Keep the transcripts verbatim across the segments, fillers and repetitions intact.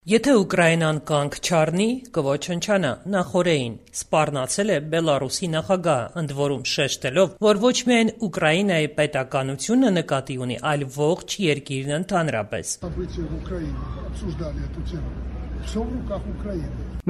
Եթե Ուկրաինան կանգ չառնի, կոչնչանա, նախօրեին սպառնացել է Բելառուսի նախագահը, ընդ որում շեշտելով, որ ոչ միայն Ուկրաինայի պետականությունը նկատի ունի, այլ ողջ երկիրն ընդհանրապես։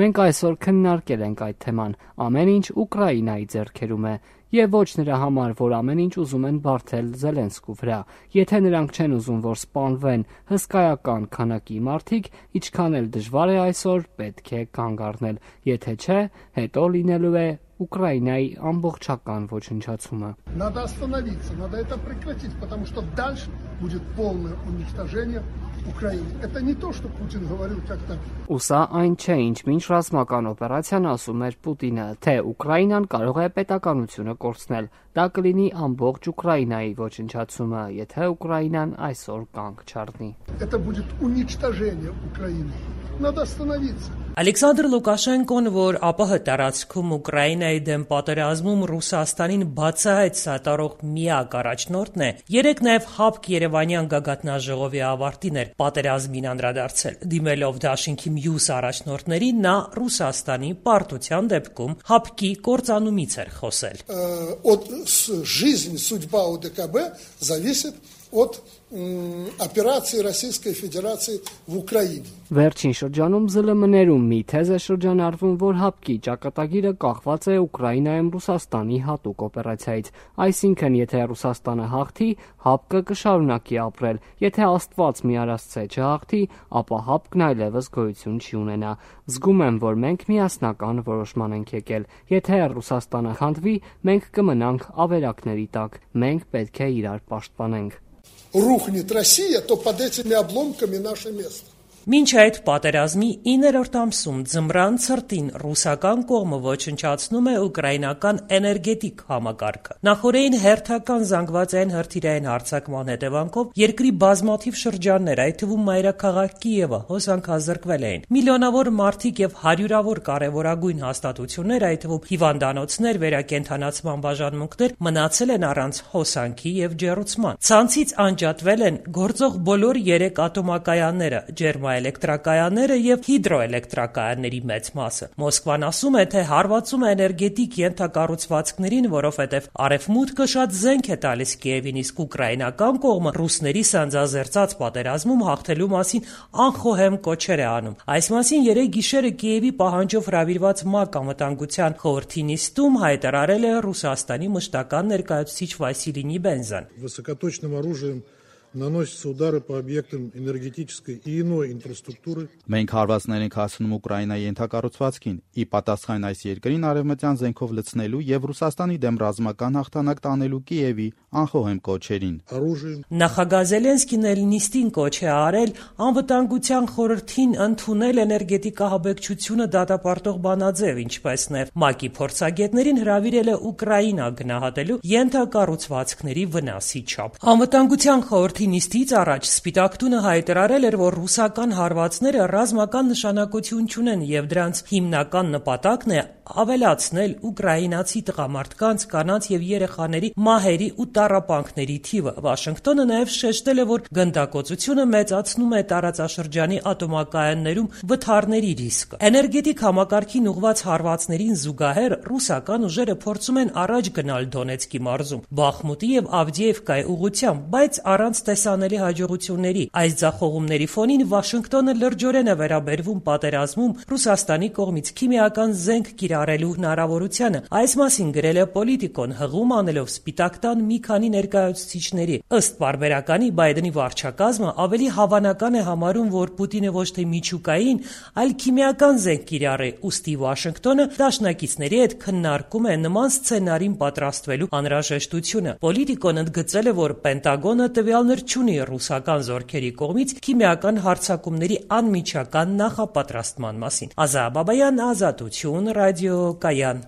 Մենք այսօր քննարկել ենք այդ թեման, ամեն ինչ Ուկրաինայի ձեռքերում է, եւ ոչ նրա համար, որ ամեն ինչ ուզում են բարդել Զելենսկու վրա։ Եթե նրանք չեն ուզում, որ սպանվեն հսկայական քանակի մարդիկ, ինչքան էլ դժվար է այսօր, պետք է կանգ առնել, եթե չէ, հետո լինելու է Ուկրաինայի ամբողջական ոչնչացումը։ Надо остановиться, надо это прекратить, потому что дальше будет полное уничтожение Украины. Это не то, что Путин говорил как-то. Ուսա այն չէ, ինչ մինչ ռազմական օպերացիան ասում էր Պուտինը, թե Ուկրաինան կարող է պետականությունը կորցնել։ Դա կլինի ամբողջ Ուկրաինայի ոչնչացումը, եթե Ուկրաինան այսօր կանգ չառնի։ Это будет уничтожение Украины. Надо остановиться. Ալեքսանդր Լուկաշենկոն, որ ԱՊՀ տարածքում Ուկրաինայի դեմ պատերազմում Ռուսաստանին բացահայտ սատարող միակ առաջնորդն է, երեկ նաև ՀԱՊԿ Երևանյան գագաթնաժողովի ավարտին էր պատերազմին անդրադարձել։ Դիմելով դաշինքի մյուս առաջնորդների, նա Ռուսաստանի պարտության դեպքում ՀԱՊԿ-ի կործանումից էր խոսել։ От жизни, судьба ОДКБ зависит от операции Российской Федерации в Украине. Վերջին շրջանում ԶԼՄ-ներում մի թեզ է շրջանառվում, որ ՀԱՊԿ-ի ճակատագիրը կախված է Ուկրաինայում Ռուսաստանի հատուկ օպերացիայից։ Այսինքն, եթե Ռուսաստանը հաղթի, ՀԱՊԿ-ը կշարունակի ապրել, եթե Աստված մի արասցե չհաղթի, ապա ՀԱՊԿ-ն այլևս գոյություն չի ունենա։ Զգում եմ, որ մենք միասնական որոշման ենք եկել։ Եթե Ռուսաստանը խանդվի, մենք կմնանք ավերակների տակ։ Մենք պետք է իրար պաշտպանենք։ Рухнет Россия, то под этими обломками наше место. Մինչ այդ պատերազմի իններորդ ամսում ձմռան ցրտին ռուսական կողմը ոչնչացնում է ուկրաինական էներգետիկ համակարգը։ Նախօրեին հերթական զանգվածային հրթիռային հարձակման հետևանքով երկրի բազմաթիվ շրջաններ, այդ թվում մայրաքաղաք Կիևը, հոսանքազրկվել էին։ Միլիոնավոր մարդիկ եւ հարյուրավոր կարևորագույն հաստատություններ, այդ թվում հիվանդանոցներ, վերակենդանացման բաժանմունքներ մնացել են առանց հոսանքի եւ ջեռուցման։ Ցանցից անջատվել են գործող բոլոր երեք ատոմակայանները, ջերմա էլեկտրակայանները եւ հիդրոէլեկտրակայանների մեծ մասը։ Մոսկվան ասում է, թե հարվածում է էներգետիկ ենթակառուցվածքներին, որովհետեւ արևմուտքը շատ զենք է տալիս Կիևին, իսկ ուկրաինական կողմը ռուսների սանձազերծած պատերազմում հաղթելու մասին անխոհեմ կոչեր է անում։ Այս մասին երեկ գիշերը Կիևի պահանջով հրավիրված ՄԱԿ անվտանգության խորհրդի նիստում հայտարարել է Ռուսաստանի մշտական ներկայացուցիչ Վասիլի Նիբենզան։ Высокоточным оружием наносятся удары по объектам энергетической и иной инфраструктуры. Մենք հարվածներ ենք հասցնում Ուկրաինայի ենթակառուցվածքին, ի պատասխան այս երկրին արևմտյան զենքով լցնելու եւ Ռուսաստանի դեմ ռազմական հաղթանակ տանելու Կիևի անխոհեմ կոչերին։ Նախագահ Զելենսկին էլ նիստին կոչ է արել անվտանգության խորհրդին ընդունել էներգետիկահաբեկչությունը դատապարտող բանաձև, ինչպես նաեւ ՄԱԿ-ի փորձագետներին հրավիրել է Ուկրաինա գնահատելու ենթակառուցվածքների վնասի չափ։ Անվտանգության խորհրդի նիստից առաջ Սպիտակ տունը հայտարարել էր, որ ռուսական հարվածները ռազմական նշանակություն չունեն եւ դրանց հիմնական նպատակն է ավելացնել ուկրաինացի տղամարդկանց, կանանց եւ երեխաների մահերի ու տառապանքների թիվը։ Վաշինգտոնը նաեւ շեշտել է, որ գնդակոծությունը մեծացնում է տարածաշրջանի ատոմակայաններում վթարների ռիսկը։ Էներգետիկ համակարգին ուղղված հարվածներին զուգահեռ ռուսական ուժերը փորձում են առաջ գնալ Դոնեցկի մարզում, Բախմուտի եւ Ավդիևկայի ուղղությամբ, բայց առանց տեսանելի հաջողությունների։ Այս ձախողումների ֆոնին Վաշինգտոնը լրջորեն է վերաբերվում պատերազմում Ռուսաստանի կողմից քիմիական զենք կիրառելու հնարավորությանը։ Այս մասին գրել է Պոլիտիկոն, հղում անելով Սպիտակ տան մի քանի ներկայացուցիչների։ Ըստ պարբերականի Բայդենի վարչակազմը ավելի հավանական է համարում, որ Պուտինը ոչ թե միջուկային, այլ քիմիական զենք կիրառի, ուստի Վաշինգտոնը դաշնակիցների հետ քննարկում է նման սցենարին պատրաստվելու անհրաժեշտությունը։ Պոլիտիկոն ընդգծել է, որ Պենտագոնը տվյալներ չունի ռուսական զորքերի կողմից քիմիական հարձակումների անմիջական նախապատրաստման մասին։ Ազա Բաբայան, Ազատություն, ռադիո Կայան։